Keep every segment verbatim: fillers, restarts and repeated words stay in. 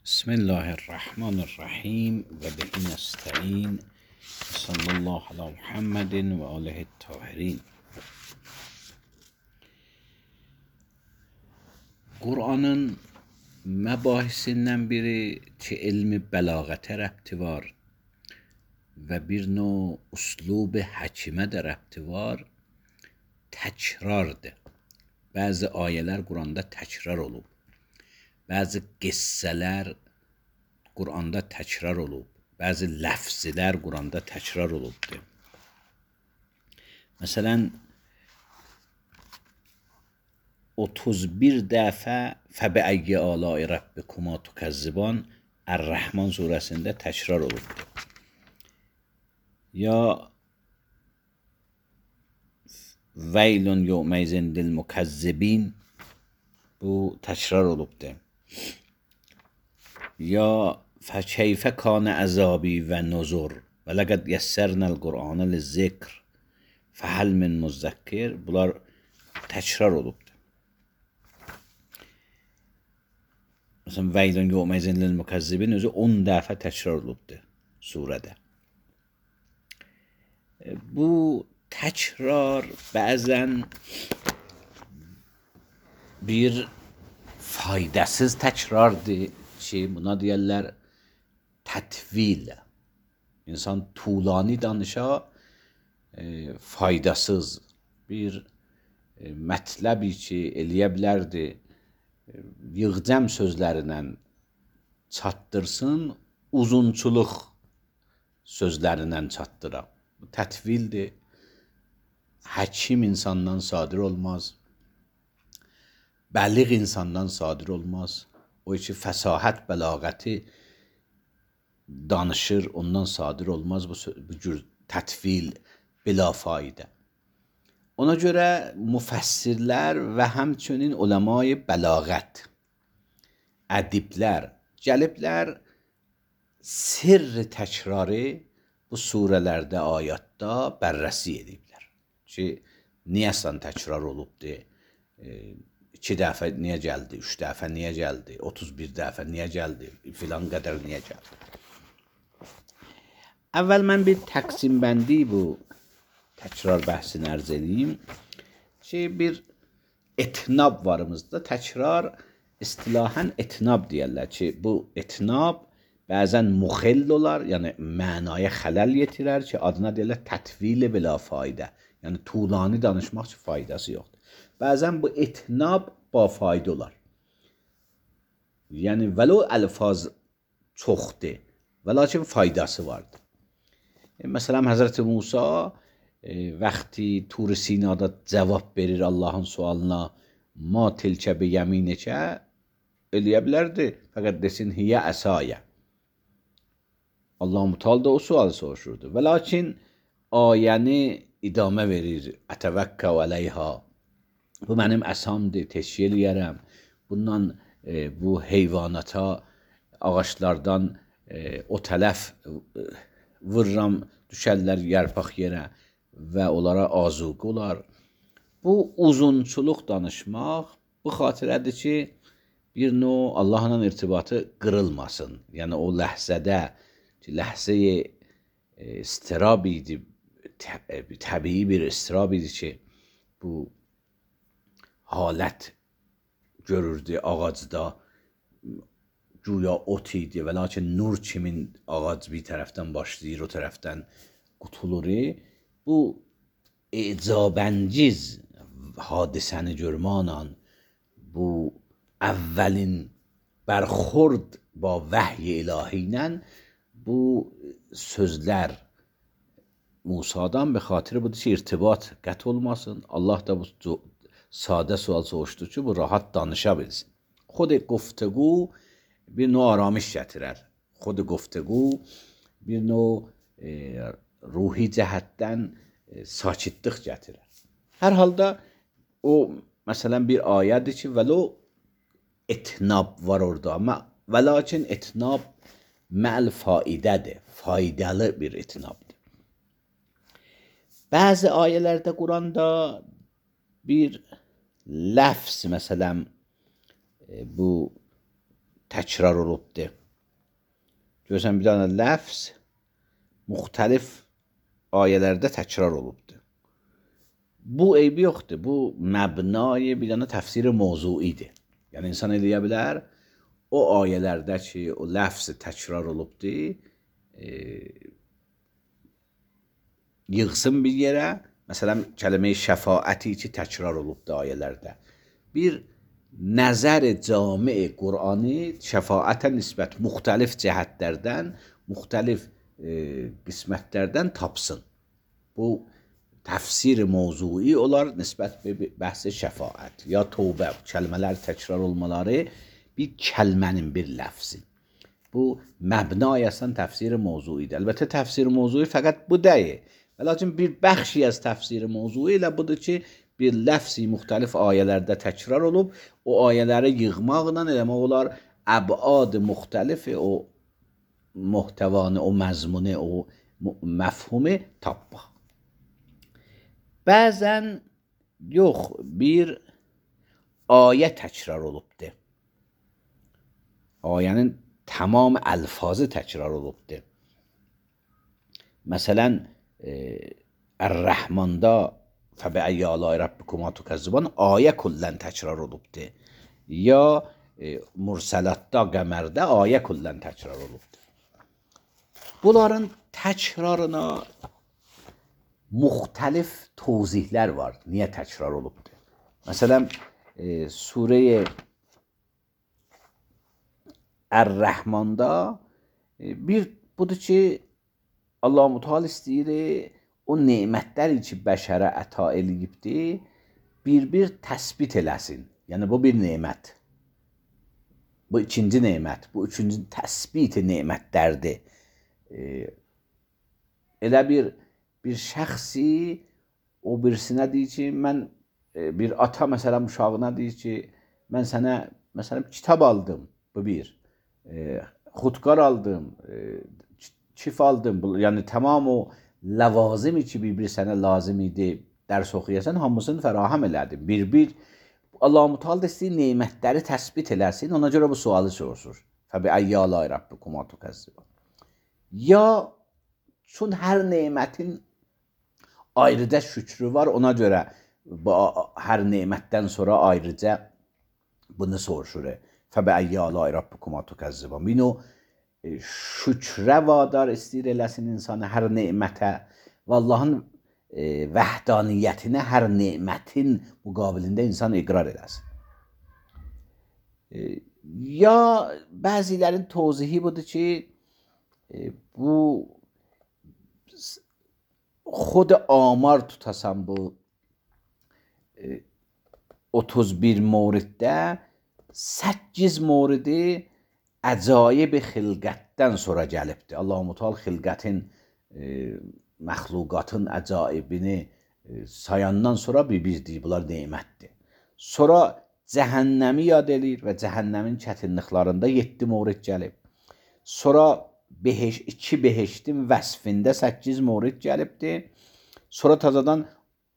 بسم الله الرحمن الرحیم و به نستعین صلی الله علی محمد و آله الطاهرین. Qur'anın məbahisindən biri ki, elmi bəlağətə rəbti var və bir növ üslub həkimə də rəbti var, təkrardır. Bəzi ayələr Qur'anda təkrar olub. Bəzi qissələr Qur'anda təkrar olub. Bəzi ləfzlər Qur'anda təkrar olubdur. Məsələn, otuz bir dəfə Fəbəəyyə aləi Rabbikuma tukəzziban Ər-Rəhman surəsində təkrar olubdur. Ya Veylun yevmeyzin lil mukezzibin, bu təkrar olubdur. Ya fəkeyfə kanə əzabi və nuzur və ləqəd yəssərnəl Qur'anə lizzikr fəhəl min muzzəkkir, bunlar təkrar olubdur. Məsələn, Veylun yevmeyzin lil mukezzibin özü on dəfə təkrar olubdur surədə. Bu təkrar bəzən bir faydasız təkrardır ki, buna deyərlər tətvil. İnsan tulani danışa, e, faydasız bir e, mətləbi ki, eləyə bilərdi, e, yığcam sözlərinə çatdırsın, uzunçuluq sözlərinə çatdıra. Bu tətvildir. Həkim insandan sadir olmaz. Bəliğ insandan sadir olmaz. O ki, fəsahət, bəlağəti danışır, ondan sadir olmaz bu, bu cür tətvil bila faydə. Ona görə müfəssirlər və həmçinin uləmai bəlağət, ədiblər gəliblər sirr təkrarı bu surələrdə, ayətdə bərrəsi ediblər. Ki, niyəsən təkrar olubdur? E, iki dəfə niyə gəldi? Üç dəfə niyə gəldi? otuz bir dəfə niyə gəldi? Filan qədər niyə gəldi? Əvvəl mən bir təqsim bəndi bu təkrar bəhsini ərz edeyim ki, bir etnab varımızda. Təkrar istilahən etnab deyərlər ki, bu etnab bəzən muxil olar, yəni mənaya xələl yetirər ki, adına deyərlər tətvil bila faydə. Yəni tulani danışmaq üçün faydası yoxdur. Bəzən bu etnab ba fayda olar. Yəni vəlo əlfaz çoxdur və lakin faydası vardır. E, məsələn, Həzrəti Musa e, vaxtı Tur Sinada cavab verir Allahın sualına, ma tilkə bi yəminəkə, eləyə bilərdi, fəqət desin hiyə əsayə. Allah Mutal da o sualı soruşurdu. Və lakin ayəni idamə verir. Ətəvəkkə əleyha. Bu mənim əsamdır, teşkil eləyərəm. Bundan e, bu heyvanata, ağaçlardan e, o tələf e, vırram, düşərlər yarpaq yerə və onlara azuq olar. Bu uzunçuluq danışmaq bu xatirədir ki, bir növ Allahla irtibatı qırılmasın. Yəni o ləhzədə, ləhzəyə e, istirab idi, təbii bir istirab idi ki, bu halət görürdü ağacda, güya ot idi və lakin nur kimin ağac bir tərəfdən başlayır, o tərəfdən qutulur. Bu icabəngiz hadisəni görməklə, bu əvvəlin bərxurd ba vəhy ilahi ilə bu sözlər Musadan به خاطر budur ki, irtibat qət olmasın. Allah da bu sadə sual soruşdu ki, bu rahat danışa bilsin. Xod guftəqu bir növ aramış gətirər. Xod guftəqu bir növ e, ruhi cəhətdən e, sakitlik gətirər. Hər halda o, məsələn, bir ayədir ki, vəlo etnab var orada, amma və lakin etnab məl faidədir, faydalı bir etnabdır. Bəzi ayələrdə Quranda bir ləfz, məsələn, bu təkrar olubdur. Görürsən, bir dənə ləfz müxtəlif ayələrdə təkrar olubdur. Bu eybi yoxdur. Bu məbnayı bir dənə təfsir mövzuidir. Yəni, insan eləyə bilər, o ayələrdə ki, o ləfz təkrar olubdur, e, yığsın bir yerə. Məsələn, kəlmə-i şəfaəti ki, təkrar olubdur ayələrdə. Bir nəzər cami Qur'ani şəfaətə nisbət müxtəlif cəhətlərdən, müxtəlif e, qismətlərdən tapsın. Bu təfsir mövzui olar nisbət bəhs şəfaət ya tövbə kəlmələr təkrar olmaları bir kəlmənin, bir ləfzin. Bu məbnay əslən təfsir mövzuidir. Əlbəttə təfsir mövzui fəqət bu deyil. Lakin bir bəxşi az təfsir mövzui ilə budur ki, bir ləfzi müxtəlif ayələrdə təkrar olub, o ayələri yığmaqla eləmək olar, əbad müxtəlifi o muhtəvanı, o məzmunu, o məfhumu tapmaq. Bəzən yox, bir ayə təkrar olubdur. Ayənin tamam əlfazı təkrar olubdur. Məsələn, Ər-Rəhmanda fəbə'əyyi əlâi rabbikuma tukəzzibən ayə kullən təkrar olubdur. Ya Mürsələtdə, Qəmərdə ayə kullən təkrar olubdur. Bunların təkrarına müxtəlif tövzihlər var. Niyə təkrar olubdur? Məsələn, e, Surə Ər-Rəhmanda e, bir budur ki, Allah-u Teala istəyir o nemətləri ki, bəşərə əta eləyibdir, bir-bir təsbit eləsin. Yəni, bu bir nemət. Bu ikinci nemət, bu üçüncü təsbit nemətlərdir. E, elə bir bir şəxsi o birisinə deyir ki, mən e, bir ata məsələn uşağına deyir ki, mən sənə məsələn kitab aldım, bu bir. E, xudkar aldım, e, çif aldım. Yəni tamam o ləvazimi ki, bir-bir sənə lazım idi, dərs oxuyasan, hamısını fərahəm elədi. Bir-bir Allah-u Teala istəyir nemətləri təsbit eləsin, ona görə bu sualı soruşur. Fəbə'əyyi əlâi rabbikuma tukəzzibən. Ya çün hər nemətin ayrıca şükrü var, ona görə bu, hər nemətdən sonra ayrıca bunu soruşur. Fəbə'əyyi əlâi rabbikuma tukəzzibən. Bunu şükrə vadar istəyir eləsin insanı hər nemətə və Allahın e, vəhdaniyyətinə hər nemətin müqabilində insan iqrar eləsin. E, ya bəzilərin tövzihi budur ki, e, bu xod amar tutasan bu e, otuz bir moriddə səkkiz moridi əcaib xilqətdən sonra gəlibdir. Allah-u Teala xilqətin, e, məxluqatın əcaibini e, sayandan sonra bir bizdir, bunlar nemətdir. Sonra cəhənnəmi yad eləyir və cəhənnəmin çətinliklərində yeddi morid gəlib. Sonra beheş, iki beheştin vəsfində səkkiz morid gəlibdir. Sonra tazadan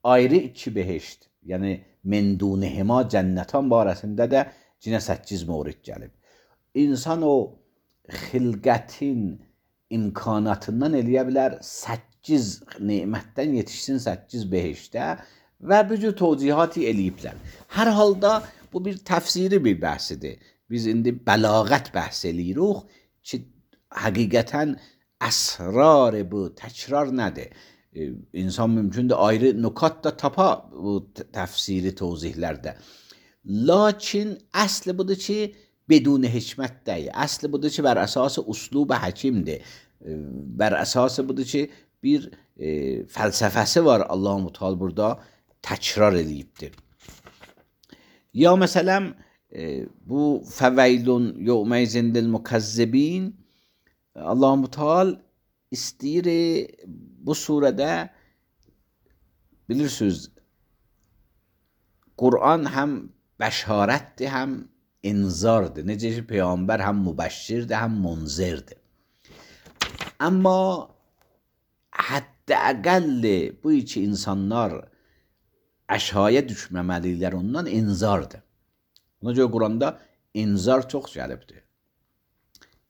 ayrı iki beheşt, yəni mendunihima cənnətan barəsində də cinə səkkiz morid gəlib. İnsan o xilqətin imkanatından eləyə bilər səkkiz nemətdən yetişsin səkkiz beheşdə və bu cür tövcihati eləyiblər. Hər halda bu bir təfsiri bir bəhsidir. Biz indi bəlağət bəhs eləyirik ki, həqiqətən əsrar bu təkrar nədir? E, insan mümkündür ayrı nukat da tapa bu təfsiri tövzihlərdə. Lakin əsli budur ki, بدون hikmət deyil. Əsli budur ki, bər əsası uslub həkimdir. Bər əsası budur ki, bir e, fəlsəfəsi var Allah-u Teala burada təkrar eləyibdir. Ya məsələn, e, bu fəveylun yevmeyzin lil mukazzibin Allah-u Teala istəyir bu surədə bilirsiniz Qur'an həm bəşarətdir, həm inzardır. Necə ki, Peyğəmbər həm mübəşşirdir, həm munzirdir. Amma hətta-əqəlli bu iki insanlar əşaya düşməməliklər ondan inzardır. Ona görə Quranda inzar çox gəlibdir.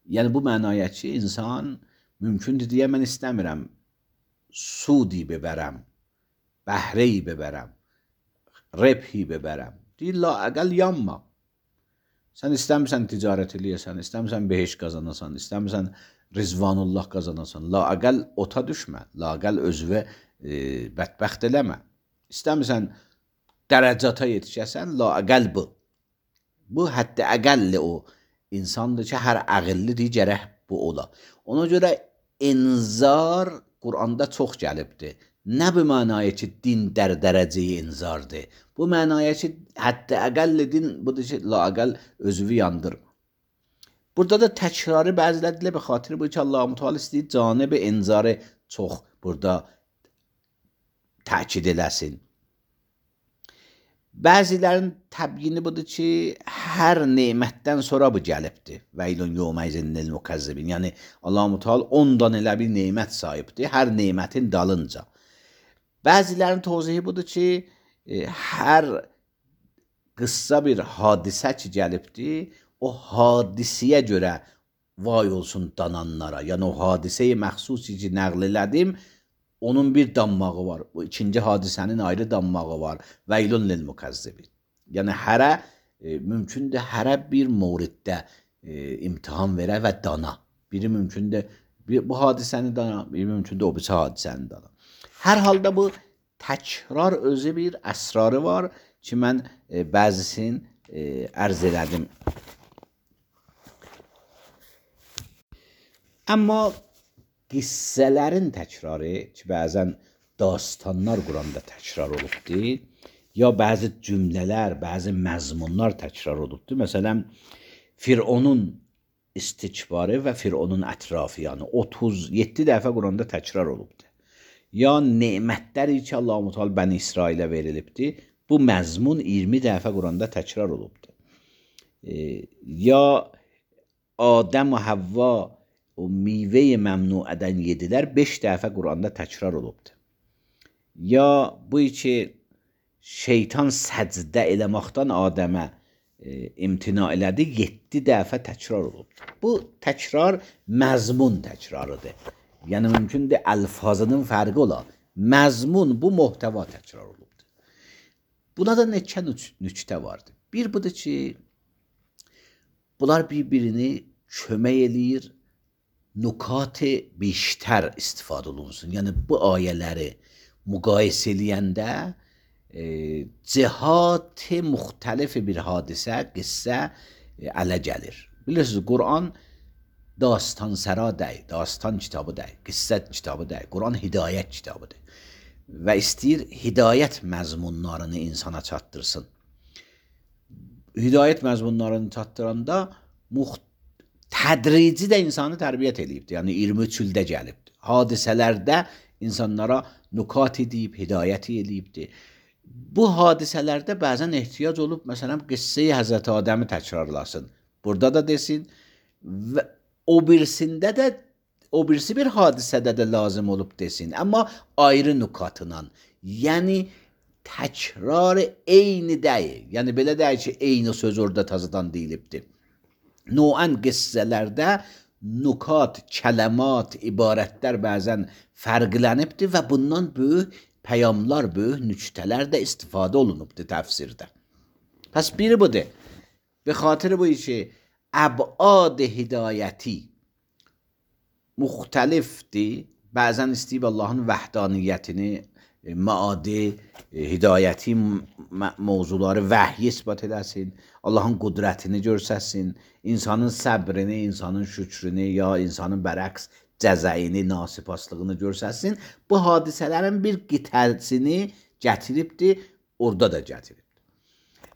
Yəni bu mənaya ki, insan mümkündür deyə mən istəmirəm sudi bebərəm, bəhreyi bebərəm, rebhi bebərəm. Deyir, la əqəl yanma. Sən istəmirsən ticarət eləyəsən, istəmirsən beheş qazanasan, istəmirsən rizvanullah qazanasan, la əqəl ota düşmə, la əqəl özünə e, bədbəxt eləmə. İstəmirsən dərəcata yetişəsən, la əqəl bu. Bu hətta əqəlli o insandır ki, hər əqillidir, gərək bu ola. Ona görə inzar Quranda çox gəlibdir. Nə bu mənaya ki, din dər dərəcəyi inzardır. Bu mənaya ki, hətta əqəlli din budur ki, la əqəl özünü yandırma. Burada da təkrarı bəzilərlə bir xatir bu ki, Allah-u Teala istəyir canib inzarı çox burada təkid eləsin. Bəzilərin təbyini budur ki, hər nemətdən sonra bu gəlibdir. Veylun yevmeyzin mukazzibin. Yəni Allah-u Teala ondan elə bir nemət sahibdir, hər nemətin dalınca. Bəzilərin tövzihi budur ki, hər qıssa bir hadisə ki gəlibdir, o hadisiyə görə vay olsun dananlara. Yəni o hadisəyi məxsusi ki nəql elədim, onun bir dammağı var. O ikinci hadisənin ayrı dammağı var. Veylun lil mukazzibin. Yəni hərə e, mümkündür hərə bir mövriddə e, imtihan verə və dana. Biri mümkündür bir, bu hadisəni dana, biri mümkündür o birisi hadisəni dana. Hər halda bu təkrar özü bir əsrarı var ki, mən e, bəzisini e, ərz elədim. Amma qissələrin təkrarı ki, bəzən dastanlar Quranda təkrar olubdur, ya bəzi cümlələr, bəzi məzmunlar təkrar olubdur. Məsələn, Fironun istikbarı və Fironun ətrafı, yəni otuz yeddi dəfə Quranda təkrar olubdur. Ya nemətləri ki, Allah-u Teala Bəni İsrailə verilibdir, bu məzmun iyirmi dəfə Quranda təkrar olubdur. E, ya Adəm və Havva o meyvəyi məmnuədən yedilər, beş dəfə Quranda təkrar olubdur. Ya bu ki, şeytan səcdə eləməkdən Adəmə e, imtina elədi, yeddi dəfə təkrar olubdur. Bu təkrar məzmun təkrarıdır. Yəni mümkündür əlfazının fərqi ola. Məzmun bu muhtəva təkrar olubdur. Buna da neçə nüktə vardır. Bir budur ki, bunlar bir-birini kömək eləyir, nukat-ı beştər istifadə olunsun. Yəni bu ayələri müqayisə eləyəndə e, cihat-ı müxtəlif bir hadisə, qissə e, ələ gəlir. Bilirsiniz, Quran dastan səra deyil, dastan kitabı deyil, qissə kitabı deyil. Quran hidayət kitabıdır. Və istəyir hidayət məzmunlarını insana çatdırsın. Hidayət məzmunlarını çatdıranda muxtəlif tədrici də insanı tərbiyyət eləyibdir. Yəni iyirmi üç ildə gəlibdir. Hadisələrdə insanlara nukat edib, hidayət eləyibdir. Bu hadisələrdə bəzən ehtiyac olub, məsələn, qissə-i Həzrəti Adəmi təkrarlasın. Burada da desin və o birisində də, o birisi bir hadisədə də lazım olub desin. Amma ayrı nukatla. Yəni təkrar eyni deyil. Yəni belə deyil ki, eyni söz orada tazadan deyilibdir. Noən qissələrdə nukat, kələmat, ibarətlər bəzən fərqlənibdir və bundan böyük pəyamlar, böyük nüktələr də istifadə olunubdur təfsirdə. Pəs biri budur. Be xatir bu ki, əbad hidayəti müxtəlifdir. Bəzən istəyib Allahın vəhdaniyyətini, maadi, hidayəti mövzuları vəhyi isbat edəsin, Allahın qudrətini görsəsin, insanın səbrini, insanın şükrünü, ya insanın bərəqs cəzəyini, nasipaslığını görsəsin. Bu hadisələrin bir qitəsini gətiribdir, orada da gətiribdir.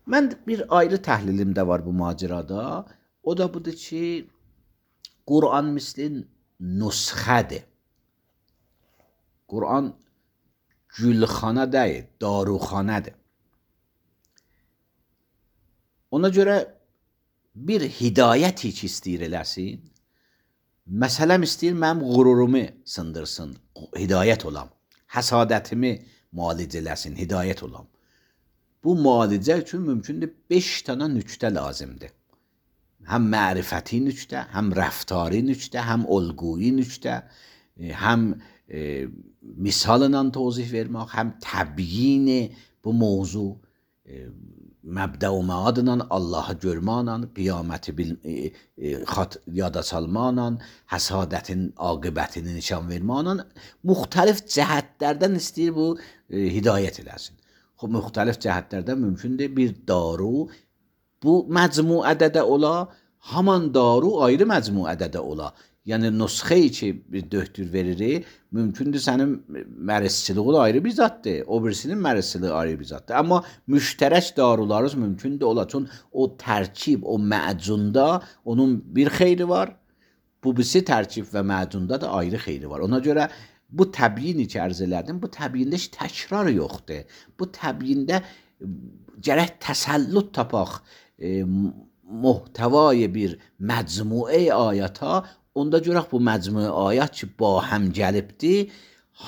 Mən bir ayrı təhlilim də var bu macirada. O da budur ki, Quran mislin nusxədir. Quran gülxana deyil, daruxanədir. Ona görə bir hidayət ki istəyir eləsin, məsələm istəyir mənim qururumu sındırsın, hidayət olam, həsadətimi müalicə eləsin, hidayət olam. Bu müalicə üçün mümkündür beş dənə nüktə lazımdır. Hem ma'rifati nükte, hem reftari nükte, hem olguyi nükte, hem e, misalından tozih vermek, hem təbyin bu mevzu, e, məbdə və məadla, Allahı görməklə, qiyaməti bil, e, e, xat, yada salmaqla, həsadətin aqibətini nişan verməklə müxtəlif cəhətlərdən istəyir bu e, hidayət eləsin. Xub, müxtəlif cəhətlərdən mümkündür bir daru bu məcmuədə də ola, haman daru ayrı məcmuədə də ola. Yəni nüsxeyi ki bir döktür verir, mümkündür sənin mərisçiliği ayrı bir zatdır, o birisinin mərisçiliği ayrı bir zatdır. Amma müştərək darularız mümkündür ola. Çün o tərkib, o məcunda onun bir xeyri var, bu birisi tərkib və məcunda da ayrı xeyri var. Ona görə bu təbyini ki ərz elədim, bu təbyində heç təkrar yoxdur. Bu təbyində gərək təsəllüt tapaq e, muhtevای bir məcmuə ayata. Onda görək bu məcmui ayət ki, ba həm gəlibdir,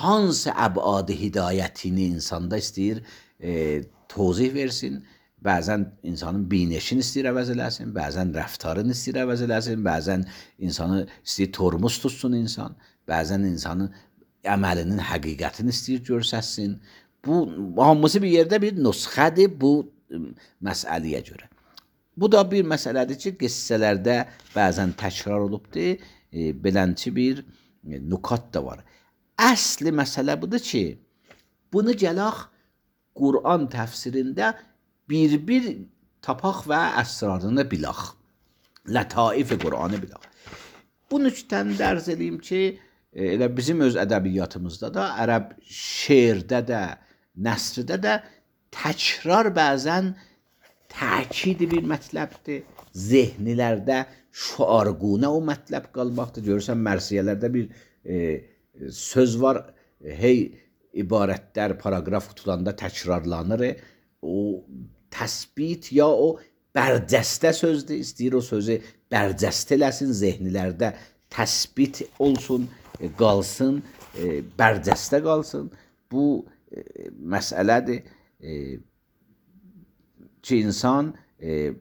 hansı əbad hidayətini insanda istəyir e, tozih versin. Bəzən insanın bineşini istəyir əvəz eləsin, bəzən rəftarını istəyir əvəz eləsin, bəzən insanı istəyir tormuz tutsun insan, bəzən insanın əməlinin həqiqətini istəyir görsəsin. Bu, hamısı bir yerdə bir nüsxədir bu məsələyə görə. Bu da bir məsələdir ki, qissələrdə bəzən təkrar olubdur. E, belənçi bir e, nukat da var. Əsli məsələ budur ki, bunu gələk Qur'an təfsirində bir-bir tapaq və əsrarını bilək. Lətaifi Qur'anı bilək. Bu nüktəni də ərz edeyim ki, e, elə bizim öz ədəbiyyatımızda da, ərəb şeirdə də, nəsrdə də təkrar bəzən təkidi bir mətləbdir. Zehnilərdə şuarguna o mətləb qalmaqdır. Görürsən, mərsiyələrdə bir e, söz var, hey ibarətlər, paraqraf tutulanda təkrarlanır. O təsbit ya o bərcəstə sözdür, istəyir o sözü bərcəstə eləsin, zehnilərdə təsbit olsun, e, qalsın, e, bərcəstə qalsın. Bu e, məsələdir e, ki, insan e,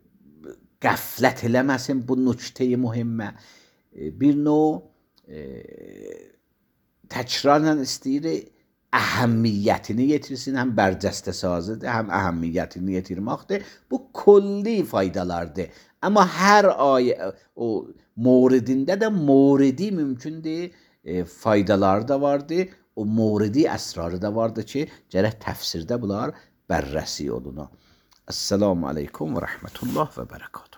qəflət eləməsin bu nükteyi mühimmə. Bir növ e, təkrarla istəyir əhəmmiyyətini yetirsin, həm bərcəstə sazıdır, həm əhəmmiyyətini yetirməkdir. Bu kulli faydalardır. Amma hər ayə o mouridində də mouridi mümkündür, e, faydaları da vardır. O mouridi əsrarı da vardır ki, gərək təfsirdə bunlar bərrəsi oluna. Esselamu aleykum və rəhmətullah və bərəkatuhu.